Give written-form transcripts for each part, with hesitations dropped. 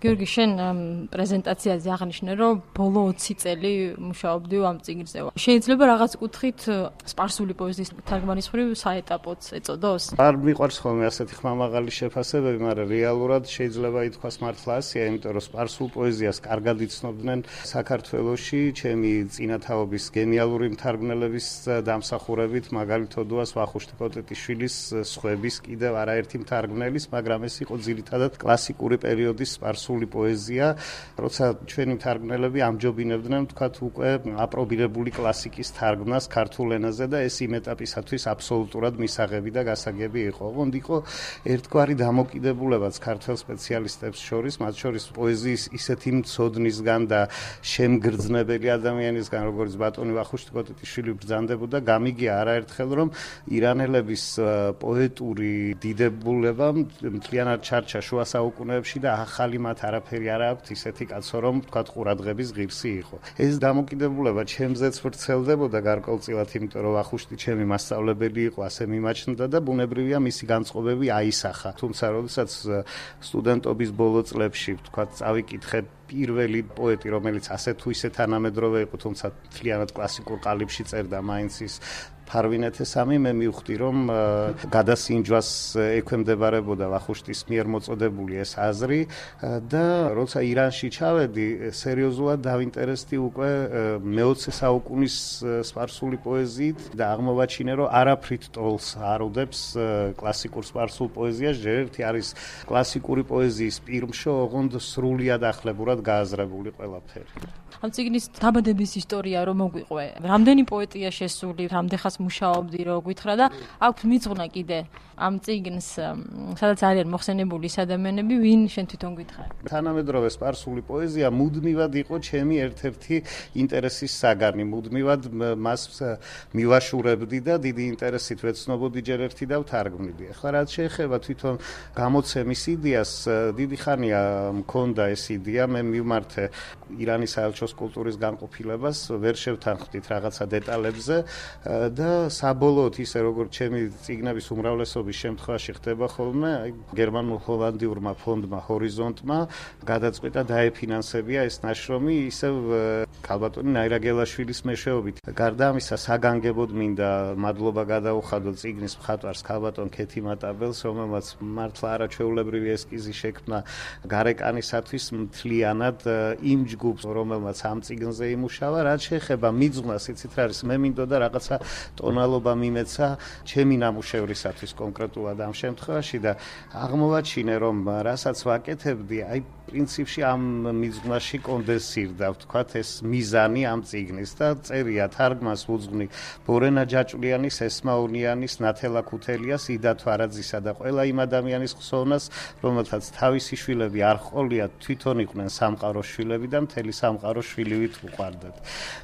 გიორგი, შენ პრეზენტაციაზე აღნიშნე, რომ ბოლო 20 წელი მუშაობდი ამ წიგნზე. შეიძლება რაღაც კუთხით სპარსული პოეზიის თარგმანის მხრივ საეტაპოც ეწოდოს? არ მიყვარს ხოლმე ასეთი ხმამაღალი შეფასებები, მაგრამ რეალურად შეიძლება ითქვას მართლა ასეა, იმიტომ რომ სპარსულ პოეზიას კარგად იცნობდნენ საქართველოში ჩემი წინათაობის გენიალური მთარგმნელების დამსახურებით, მაგალითად ვახუშტი კოტეტიშვილის, სხვების კიდევ არაერთი მთარგმნელის, მაგრამ ეს იყო ძირითადად კლასიკური პერიოდის სპარსული პოეზია, როცა ჩვენი მთარგმნელები ამჯობინებდნენ, თქვათ, უკვე აპრობირებული კლასიკის თარგმნას ქართულ ენაზე და ეს იმ ეტაპისათვის აბსოლუტურად მისაღები და გასაგები იყო. ოღონდ იყო ერთგვარი დამოკიდებულებაც ქართველ სპეციალისტებს შორის, მათ შორის პოეზიის ისეთი მცოდნისგან და შემგრძნებელი ადამიანისგან, როგორც ბატონი ვახუშტი კოტეტიშვილი ბრძანდებოდა, გამიგია არაერთხელ, რომ ირანელების პოეტური დიდებულება მთლიანად ჩარჩა შუა საუკუნეებში და ახალი მათ არაფერი არ აქვთ, ისეთი კაცო, რომ თქვათ ყურადღების ღირსი იყო. ეს დამოკიდებულება ჩემზეც ვრცელდებოდა გარკვეულწილად, იმიტომ რომ ვახუშტი ჩემი მასწავლებელი იყო, ასე მიმაჩნდა და ბუნებრივია მისი განწყობები აისახა. თუმცა, როდესაც სტუდენტობის ბოლო წლებში, თქვათ, წავიკითხე პირველი პოეტი, რომელიც ასე თუ ისე თანამედროვე იყო, თუმცა მთლიანად კლასიკურ ყალიბში წერდა მაინც ის ფარვინეთესამი, მე მივხვდი, რომ გადასინჯვას ექვემდებარებოდა ვახუშტის მიერ მოწოდებული ეს აზრი და როცა ირანში ჩავედი, სერიოზულად დავინტერესდი უკვე მე-20 საუკუნის სპარსული პოეზიით და აღმოვაჩინე, რომ არაფრით ტოლს არ უდებს კლასიკურ სპარსულ პოეზიას, ჯერ ერთი არის კლასიკური პოეზიის პირმშო, ოღონდ სრულიად ახლებურად გააზრებული ყველაფერი. ამ წიგნის დაბადების ისტორია რომ მოგვიყვე, რამდენი პოეტია შესული, რამდენხანს მუშაობდი, რო გითხრა და აქვს მიწღნა კიდე ამ წიგნს, სადაც არიან მოხსენებული ის ადამიანები, ვინ შენ თვითონ გითხარ? თანამედროვე სპარსული პოეზია მუდმივად იყო ჩემი ერთ-ერთი ინტერესის საგანი, მუდმივად მას მივაშურებდი და დიდი ინტერესით ვეცნობოდი ჯერ ერთი და ვთარგმნიდი. ახლა რაც შეეხება თვითონ გამოცემის იდეას, დიდი ხანია მქონდა ეს იდეა, მე მივმართე ირანის საელჩოს კულტურის განყოფილებას, ვერ შევთანხმდით რაღაცა დეტალებზე და საბოლოოდ ისე როგორც ჩემი წიგნების უმრავლესობის შემთხვევაში ხდება ხოლმე, გერმანულ-ჰოლანდიურმა ფონდმა ჰორიზონტმა გადაწყვიტა დაეფინანსებია ეს ნაშრომი ისევ ქალბატონი ნაირა გელაშვილის მეშვეობით. გარდა ამისა, საგანგებოდ მინდა მადლობა გადაუხადო წიგნის მხატვარს ქალბატონ ქეთი მატაბელს, რომელმაც მართლა არაჩვეულებრივი ესკიზი შექმნა გარეკანისათვის მთლიანად იმ ჯგუფს, რომელმაც ამ წიგნზე იმუშავა. რაც შეეხება მიწღვნას, იცით რა არის, მე მინდოდა რაღაცა ტონალობა მიმეცა ჩემი ნამუშევრისათვის კონკრეტულად ამ შემთხვევაში და აღმოვაჩინე, რომ რასაც ვაკეთებდი, აი პრინციპში ამ მიზნაში კონდენსირდა, ვთქვათ, ეს მიზანი ამ წიგნის და წერია თარგმანს უძღვნი ბორენა ჯაჭვლიანის, ესმაუნიანის, ნათელა ქუთელიას, იდა თვარაძისა და ყველა იმ ადამიანის ხსოვნას, რომელთაც თავისი შვილები არ ჰყოლიათ, თვითონ იყვნენ სამყაროს შვილები და მთელი სამყარო შვილივით უყვარდათ.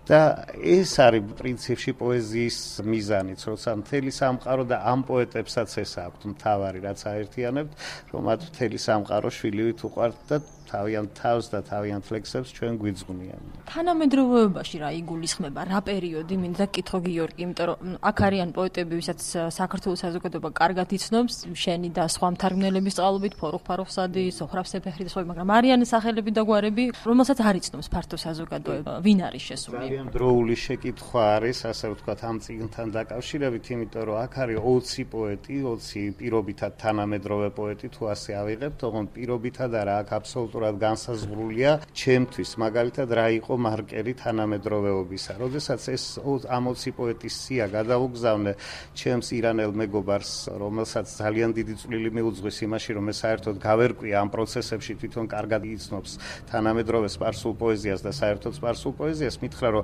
და ეს არის პრინციპში პოეზიის მიზანიც, როცა მთელი სამყარო და ამ პოეტებსაც ეს აქვთ მთავარი, რაც აერთიანებთ, რომ მათ მთელი სამყარო შვილივით უყვართ და თავიანთ თავს და თავიანთ ლექსებს ჩვენ გვიძღვნიან. თანამედროვეობაში რა იგულისხმება, რა პერიოდი, მინდა გკითხო გიორგი, იმიტომ რომ აქ არიან პოეტები, ვისაც საქართველოს საზოგადოება კარგად იცნობს, შენი და სხვა მთარგმნელების წყალობით, ფორუხ-ფარუხსადი, სოხრაბ სეფეხი და სხვა, მაგრამ არიან სახელები და გვარები, რომელსაც არ იცნობს ფართო საზოგადოება, ვინ არის შესული? ძალიან დროული შეკითხვა არის, ასე ვთქვათ, ამ წიგნთან დაკავშირებით, იმიტომ რომ აქ არის 20 პოეტი, 20 პირობითად თანამედროვე პოეტი, თუ ასე ავიღებთ, ოღონდ პირობითად არა, აქ აბსოლუტურად განსაზღვრულია ჩემთვის, მაგალითად, რა იყო მარკერი თანამედროვეობისა. როდესაც ეს ამ 20 პოეტის სია გადაუგზავნე ჩემს ირანელ მეგობარს, რომელსაც ძალიან დიდი წვლილი მიუძღვის იმაში, რომ ეს საერთოდ გავერკვია ამ პროცესებში, თვითონ კარგად იცნობს თანამედროვე სპარსულ პოეზიას და საერთოდ სპარსულ პოეზიას, მითხრა, რომ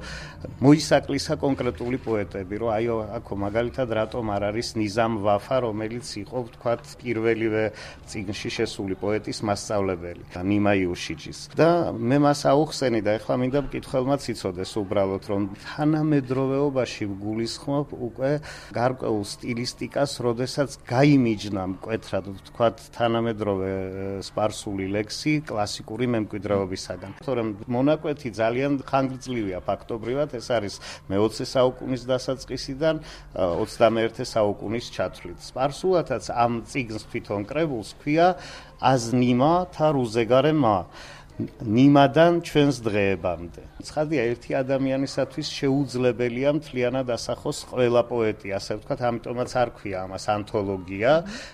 მოისაკლისა კონკრეტული პოეტები, რომ აი აქ მაგალითად რატომ არ არის ნიზამ ვაფა, რომელიც იყო, ვთქვათ, პირველივე წიგნში შესული პოეტის მასწავლებელი და ნიმა იუშიჯის. და მე მას აუხსენი და ეხლა მინდა მკითხველმაც იცოდეს უბრალოდ, რომ თანამედროვეობაში ვგულისხმობ უკვე გარკვეულ სტილისტიკას, როდესაც გაიმიჯნა მკვეთრად, ვთქვათ, თანამედროვე სპარსული ლექსი კლასიკური მემკვიდრეობისაგან. თორემ მონაკვეთი ძალიან ხანგრძლივია ფაქტობრივად, ეს არის მე-20 საუკუნის დასაწყისიდან 21 საუკუნის ჩათვლით. სპარსულათაც ამ წიგნს თვითონ კრებულს ქვია აზნიმა და რუზეგარემა ნიმადან ჩვენს დღეებამდე. ცხადია, ერთი ადამიანისათვის შეუძლებელია მთლიანად ასახოს ყველა პოეტი, ასე ვთქვათ, ამიტომაც არ ქვია ამას ანთოლოგია,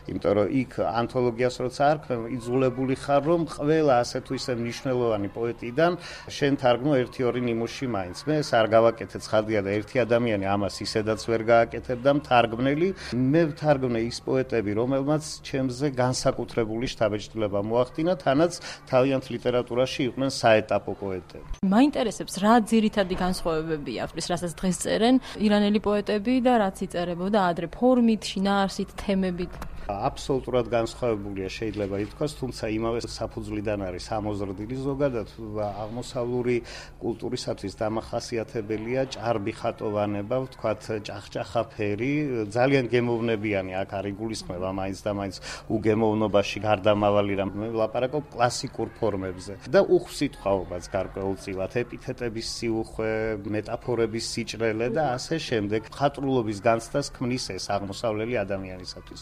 იმიტომ რომ იქ ანთოლოგიას როცა არ ქვია, იძულებული ხარ, რომ ყველა ასე თუ ისე მნიშვნელოვანი პოეტიდან შენ თარგმნო 1-2 ნიმუში მაინც. მე ეს არ გავაკეთე, ცხადია და ერთი ადამიანი ამას ისედაც ვერ გააკეთებდა მთარგმნელი. მე ვთარგმნე ის პოეტები, რომელმაც ჩემზე განსაკუთრებული შთაბეჭდილება მოახდინა, თანაც თავიანთ ლიტერატურაში იყვნენ საეტაპო პოეტები. მაინტერესებს რა ძირითადი განსხვავებებია ავტორის, რასაც დღეს წერენ ირანელი პოეტები და რაც იწერებოდა ადრე ფორმით, შინაარსით, თემებით. აბსოლუტურად განსხვავებულია შეიძლება ითქვას, თუმცა იმავე საფუძვლიდან არის ამოზრდილი ზოგადად აღმოსავლური კულტურისათვის დამახასიათებელია ჭარბი ხატოვანება, ვთქვათ, ჭახჭახა ფერი, ძალიან გემოვნებიანი აქ არ იგულისხმება მაინც და მაინც უგემოვნობაში გარდამავალი რამ. მე ვლაპარაკობ კლასიკურ ფორმებზე და უხსიტყვაობაც გარკვეულწილად, ეპითეტების სიუხვე, მეტაფორების სიჭრელე და ასე შემდეგ. ხატრულობის განცდას ქმნის ეს აღმოსავლელი ადამიანისათვის.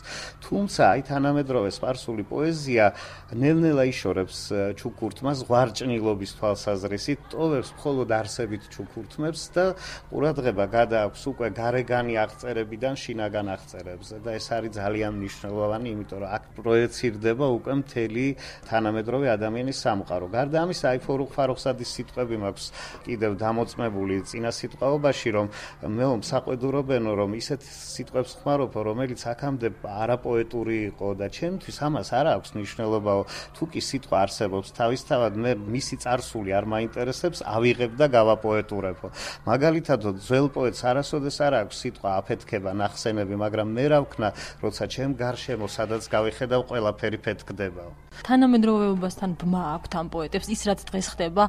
თუმცა აი თანამედროვე სპარსული პოეზია ნელ-ნელა იშორებს ჩუქურთმას ზღვარჭნილობის თვალსაზრისით, ტოვებს მხოლოდ არსებით ჩუქურთმებს და ყურადღება გადააქვს უკვე გარეგანი აღწერებიდან შინაგან აღწერებზე და ეს არის ძალიან მნიშვნელოვანი, იმიტომ რომ აქ პროეცირდება უკვე მთელი თანამედროვე ადამიანის სამყარო. გარდა ამისა, აი ფარუხსადის სიტყვები მაქვს კიდევ დამოწმებული წინა სიტყვაობაში, რომ მე მსაყვედურობენო, რომ ისეთ სიტყვებს ხმარობ, რომელიც აქამდე არაპოეტური იყო და ჩემთვის ამას არ აქვს მნიშვნელობა, თუ კი სიტყვა არსებობს თავისთავად, მე მისი წარსული არ მაინტერესებს, ავიღებ და გავაპოეტურებო. მაგალითად, ძველ პოეტს არასოდეს არ აქვს სიტყვა აფეთქება, ნახსენები, მაგრამ მე რა ვქნა, როცა ჩემ გარშემო სადაც გავიხედავ, ყველაფერი ფეთქდებაო. თანამედროვეობასთან ბმა აქვთ ამ პოეტებს, ის რაც დღეს ხდება,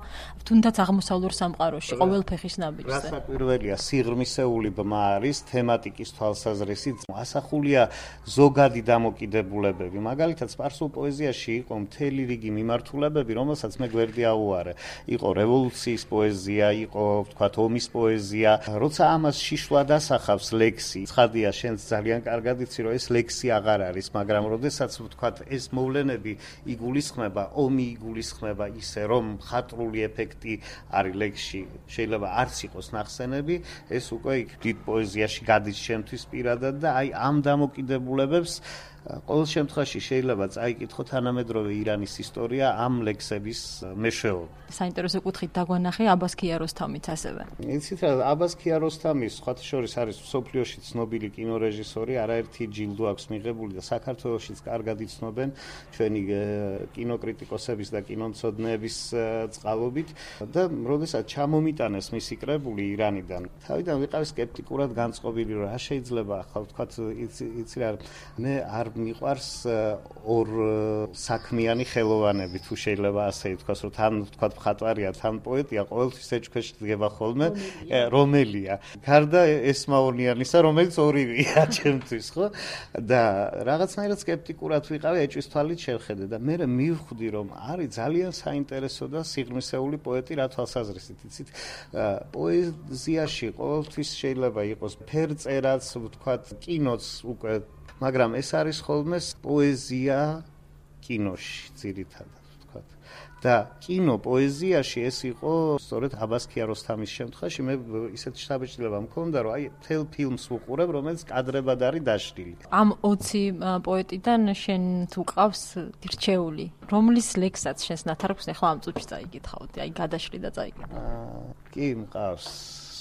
თუნდაც აღმოსავლურ სამყაროში, ყოველ ფეხის ნაბიჯზე. რასაკვირველია, სიღრმისეული ბმა არის თემატიკის თვალსაზრისით, ასახულია ზოგადი დამოკიდებულებები. მაგალითად, სპარსულ პოეზიაში იყო მთელი რიგი მიმართულებები, რომელსაც მე გვერდი აუარე. იყო რევოლუციის პოეზია, იყო, ვთქვათ, ომის პოეზია. როცა ამას შიშვლად ასახავს ლექსი, ცხადია, შენც ძალიან კარგად იცი, რომ ეს ლექსი აღარ არის, მაგრამ როდესაც, ვთქვათ, ეს მოვლენები იგულისხმება, ომი იგულისხმება ისე, რომ ხატრული ეფექტი არის ლექსში, შეიძლება არც იყოს ნახსენები, ეს უკვე დიდ პოეზიაში გადის ჩემთვის პირადად და აი ამ დამოკიდებულებებს ყოველ შემთხვევაში შეიძლება წაიკითხო თანამედროვე ირანის ისტორია ამ ლექსების მეშვეობით. საინტერესო კუთხით დაგვანახე აბას ქიაროსთამიც ასევე. იცით რა, აბას ქიაროსთამი სხვათა შორის არის მსოფლიოში ცნობილი კინორეჟისორი, არაერთი ჯილდო აქვს მიღებული და საქართველოშიც კარგად იცნობენ ჩვენი კინოკრიტიკოსების და კინომცოდნეების წყალობით და როდესაც ჩამომიტანეს მისი კრებული ირანიდან, თავიდან ვიყავი სკეპტიკურად განწყობილი, რომ რა შეიძლება ახლა ვთქვათ, იცი რა, მე არ მიყვარს ორ საქმიანი ხელოვანები, თუ შეიძლება ასე ითქვას, რომ თან ვთქვათ მხატვარია, თან პოეტია, ყოველთვის ეჭქვეშ დგება ხოლმე, რომელია. გარდა ესმაონიანისა, რომელიც ორივეა ჩემთვის, ხო? და რაღაცნაირად სკეპტიკურად ვიყავი, ეჭვის თვალით შევხედე და მე მივხვდი, რომ არის ძალიან საინტერესო და სიღრმისეული პოეტი რა თვალსაზრისით, იცით? პოეზიაში ყოველთვის შეიძლება იყოს ფერწერაც, ვთქვათ, კინოც უკვე მაგრამ ეს არის ხოლმე პოეზია კინოში ძირითადად ვთქვათ და კინო პოეზიაში ეს იყო სწორედ აბას ქიაროსთამის შემთხვევაში მე ისეთ შთაბეჭდილება მქონდა რომ აი თელ ფილმს ვუყურებ რომელიც კადრებად არის დაშლილი. ამ 20 პოეტიდან შენ თუ ყავს რჩეული, რომლის ლექსსაც შენს ნათარგმნს ახლა ამ წუთში წაიკითხავთ, აი გადაშლი და წაიკითხავთ. კი მყავს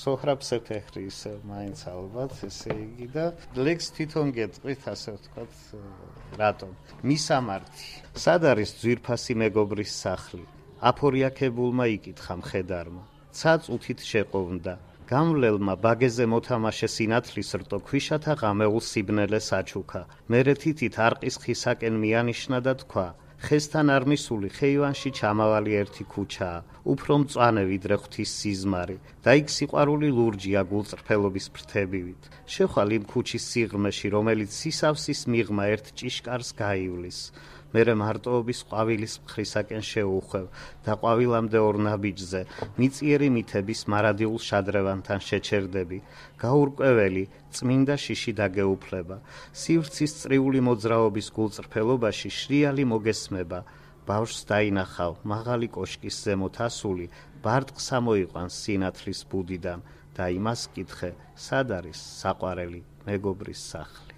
სოჰრაბ სეფეხრის მაინც ალბათ, ესე იგი და ლექს თვითონ გეტყვით, ასე ვთქვათ, რატომ? მისამართი. სად არის ძვირფასი მეგობრის სახლი? აფორიაქებულმა იკითხა მხედარმა. ცა წუთით შეყოვნდა. გამვლელმა ბაგეზე მოთამაშე სინათლის რტო ქვიშათა ღამეულ სიბნელეს აჩუქა. მერე თითით არყის ხისაკენ მიანიშნა და თქვა: ხესთან არ მისული ხეივანში ჩამავალი ერთი ქუჩაა, უფრო მწვანე ვიდრე ღვთის სიზმარი და იქ სიყვარული ლურჯია გულწრფელობის ფრთებივით. შეხვალ იმ ქუჩის სიღრმეში, რომელიც სისავსის მიღმა ერთ ჭიშკარს გაივლის. მერე მარტოობის ყვავილის მხრისაკენ შეუხვევ და ყვავილამდე ორ ნაბიჯზე მიწიერი მითების მარადილ შადრევანთან შეჩერდები. გაურკვეველი წმინდა შიში დაგეუფლება. სივრცის წრიული მოძრაობის გულწრფელობაში შრიალი მოგესმება. ბავშვს დაინახავ მაღალი კოშკის ზემოთ ასული, ბარტყს ამოიყვანს სინათლის ბუდიდან და იმას კითხე, სად არის საყვარელი მეგობრის სახლი.